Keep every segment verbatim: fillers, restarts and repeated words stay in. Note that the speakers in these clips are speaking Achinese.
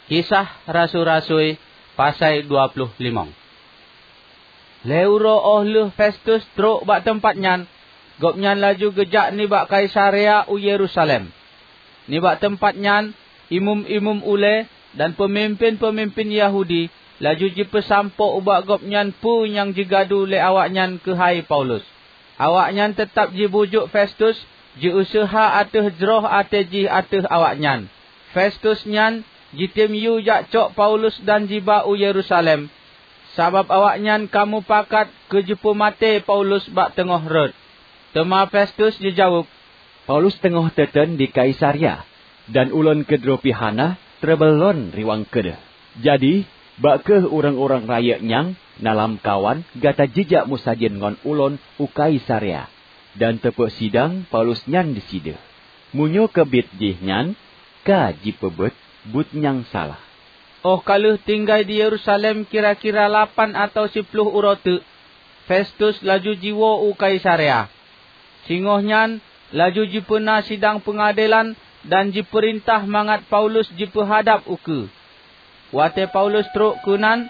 Kisah Rasui-rasui, pasai dua ploh limong. Lhée uroe óh lheueh Festus trok bak teumpat nyan, gobnyan laju geujak nibak Kaisarea u Yerusalem. Nibak teumpat nyan, imeum-imeum ulée dan peumimpén-peumimpén Yahudi laju jipeusampoe ubak gobnyan peue nyang jigadu lé awaknyan keuhai Paulus. Awaknyan teutab jibujuk Festus jiuseuha ateueh jroh até jih ateueh awaknyan. Festus nyan jitem yue jak cok Paulus dan jiba u Yerusalem, sabab awaknyan ka mupakat keu jipeumaté Paulus bak teungoh rot. Teuma Festus jijaweueb, "Paulus teungoh teuteun di Kaisarea, dan ulôn keudroe pih hana treubeuloe riwang keudeh. Jadi, bak kheueh ureuëng-ureuëng rayeuk nyang na lamkawan gata jijak meusajan ngon ulôn u Kaisarea, dan teupeusidang Paulus nyan disideh. Meunyoe keubiet jihnyan ka jipeubuet buet nyang salah." Óh ka lheueh tinggai di Yerusalem kira-kira lapan atawa siploh uroe teuk, Festus laju jiwoe u Kaisarea. Singoh nyan laju jipeuna sidang peungadelan dan jipeurintah mangat Paulus jipeuhadab ukeue. Watée Paulus trok keunan,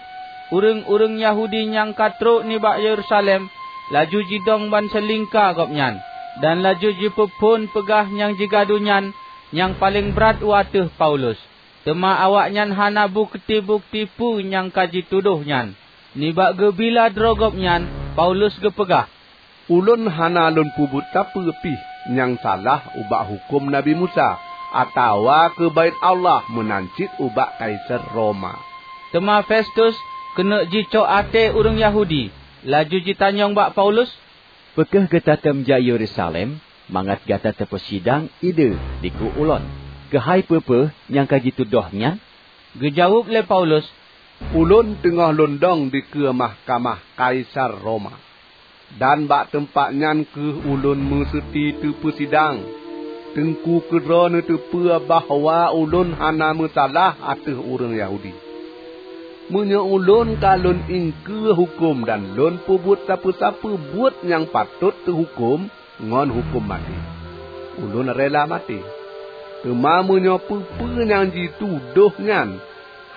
ureuëng-ureuëng Yahudi nyang ka trok nibak Yerusalem laju jidong ban seulingka gobnyan, dan laju jipeuphon peugah nyang jigadu nyan nyang paleng brat u ateueh Paulus. Teuma awaknyan hana bukeuti-bukeuti peue nyang ka jitudôh nyan. Nibak geubila droe gobnyan, Paulus geupeugah, "Ulôn hana lôn peubuet sapeue pih nyang salah ubak huköm Nabi Musa, atawa keu Baét Allah meunan cit ubak Kaisar Roma." Teuma Festus keuneuk jicok até ureuëng Yahudi, laju jitanyong bak Paulus, "Peu kheueh gata teumjak Yerusalem mangat gata teupeusidang ideh dikeue ulôn keuhai peue-peue nyang ka jitudôh nyan?" Geujaweueb lé Paulus, "Ulôn teungoh lôn dong dikeue mahkamah Kaisar Roma, dan bak teumpat nyan kheueh ulôn meuseuti teupeusidang. Teungku keudroe neuteupeue bahwa ulôn hana meusalah ateueh ureuëng Yahudi. Meunyoe ulôn ka lôn iengkeue huköm dan lôn peubuet sapeue-sapeue buet nyang patot teuhuköm ngon huköm maté, ulôn rela maté. Teuma meunyoe peue-peue nyang jitudôh nyan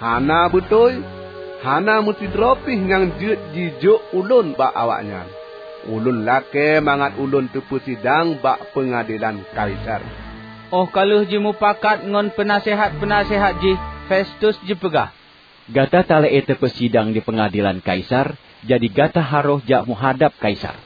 hana beutôi, hana meusidroe pih nyang jeuet jijok ulôn bak awaknyan. Ulôn lakée mangat ulôn teupeusidang bak peungadelan Kaisar." Óh ka lheueh jimupakat ngon peunaseuhat-peunaseuhat jih, Festus jipeugah, "Gata talakée teupeusidang di peungadelan Kaisar, jadi gata harôh jak meuhadab Kaisar."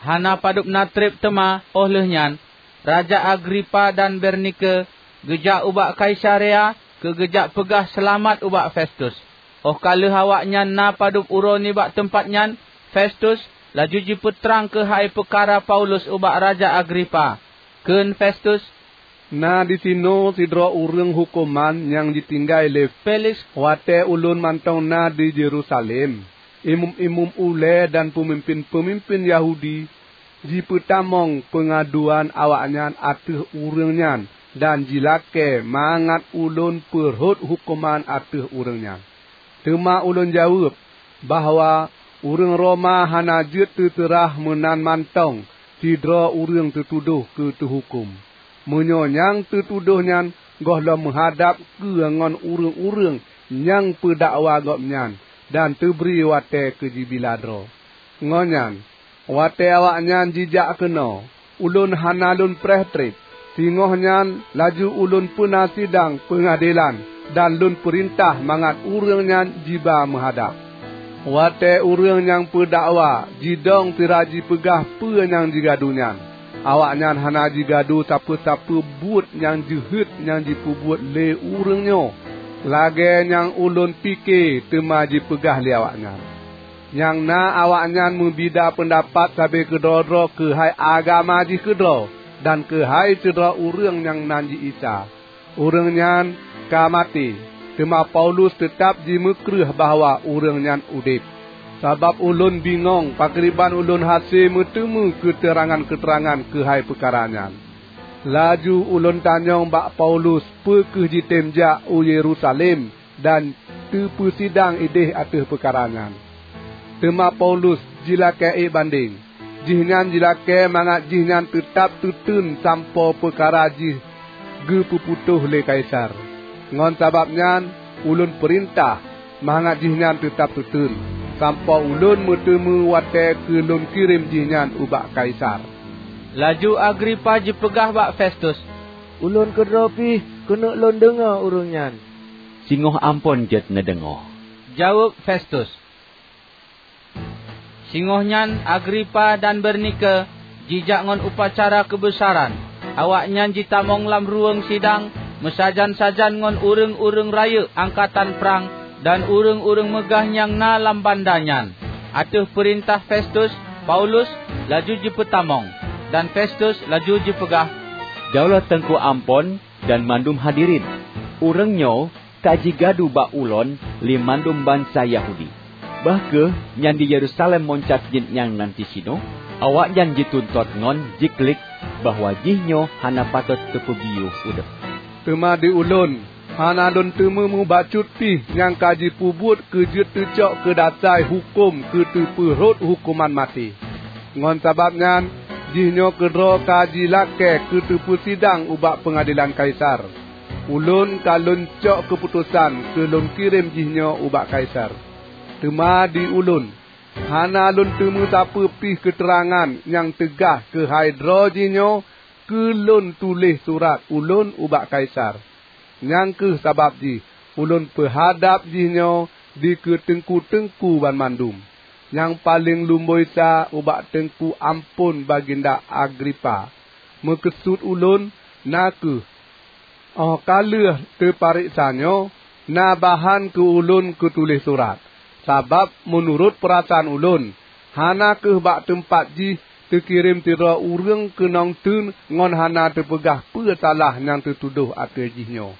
Hana padub na treb teuma óh lheueh nyan, Raja Agripa dan Bernike geujak ubak Kaisarea keu geujak peugah seulamat ubak Festus. Óh ka lheueh awaknyan na padub uroe nibak teumpat nyan, Festus laju jipeutrang keuhai peukara Paulus ubak Raja Agripa. Kheun Festus, "Na disinoe sidroe ureuëng huköman nyang jitinggai lé Feliks watée ulôn mantong na di Yerusalem. Imeum-imeum ulée dan peumimpén-peumimpén Yahudi jipeutamong peungaduan awaknyan ateueh ureuëng nyan dan jilakée mangat ulôn peurhot huköman ateueh ureuëng nyan. Teuma ulôn jaweueb bahwa ureuëng Roma hana jeuet teuseurah meunan mantong sidroe ureuëng teutudôh keu teuhuköm. Meunyoe nyang teutudôh nyan gohlom meuhadab keue ngon ureuëng-ureuëng nyang peudakwa gobnyan dan teubri watée keu jibila droe. Ngon nyan, watée awaknyan jijak keunoe, ulôn hana lôn preh treb. Singoh nyan laju ulôn peuna sidang peungadelan dan lôn peurintah mangat ureuëng nyan jiba meuhadab. Watée ureuëng nyang peudakwa jidong sira jipeugah peue nyang jigadu nyan, awaknyan hana jigadu sapeue-sapeue buet nyang jeuhet nyang jipeubuet lé ureuëng nyoe lagée nyang ulôn pike teuma jipeugah lé awaknyan. Nyang na awaknyan meubida peundapat sabe keudroe-droe keuhai agama jih keudroe dan keuhai sidroe ureuëng nyang nan jih Isa. Ureuëng nyan ka maté, teuma Paulus teutab jimeukreueh bahwa ureuëng nyan udeb. Sabab ulôn bingong pakriban ulôn hase meuteumé keuteurangan-keuteurangan keuhai peukara nyan. Laju ulôn tanyong bak Paulus peu kheueh jitem jak u Yerusalem dan teupeusidang ideh ateueh peukara nyan. Teuma Paulus jilakée ék bandeng. Jihnyan jilakée mangat jihnyan teutab teuteun sampoe peukara jih geupeuputôh lé Kaisar. Ngon sabab nyan ulôn peurintah mangat jihnyan teutab teuteun, sampoe ulôn meuteumé watée keu lôn kirém jihnyan ubak Kaisar." Laju Agripa jipeugah bak Festus, "Ulôn keudroe pih keuneuk lôn deungoe ureuëng nyan." "Singoh amphon jeuet neudeungoe," jaweueb Festus. Singoh nyan Agripa dan Bernike jijak ngon upacara keubeusaran. Awaknyan jitamong lam ruweueng sidang meusajan-sajan ngon ureuëng-ureuëng rayeuk angkatan prang dan ureuëng-ureuëng meugah nyang na lam banda nyan. Ateueh peurintah Festus, Paulus laju jipeutamong, dan Festus laju jipeugah, "Daulat teungku amphon dan mandum hadirin. Ureuëng nyoe ka jigadu bak ulôn lé mandum bansa Yahudi. Bah kheueh nyan di Yerusalem meuncab jeuet nyang nan disinoe, awaknyan jituntot ngon jiklik bahwa jihnyoe hana patot teupeubiyeu udeb. Teuma di ulôn, hana lôn teumé mubacut pih nyang ka jipeubuet keu jeuet teucok keu dasai huköm keu teupeu rhot huköman maté. Ngon sabab nyan, jihnyoe keudroe ka jilakée keu teupeusidang ubak peungadelan Kaisar. Ulôn ka lôn cok keuputosan keu lôn kirém jihnyoe ubak Kaisar. Teuma di ulôn, hana lôn teumé sapeue pih keuteurangan nyang teugaih keuhai droe jihnyoe keu lôn tuléh surat ulôn ubak Kaisar. Nyang kheueh sabab jih ulôn peuhadab jihnyoe dikeue teungku-teungku banmandum. Nyang paleng lumboi sa ubak teungku amphon Baginda Agripa, meukeusut ulôn na kheueh, óh ka lheueh teupareksa nyoe, na bahan keu ulôn keu tuléh surat. Sabab meunurot peurasaan ulôn, hana kheueh bak teumpat jih teukirém sidroe ureuëng keunong teun ngon hana teupeugah peue salah nyang teutudoh ateueh jihnyoe.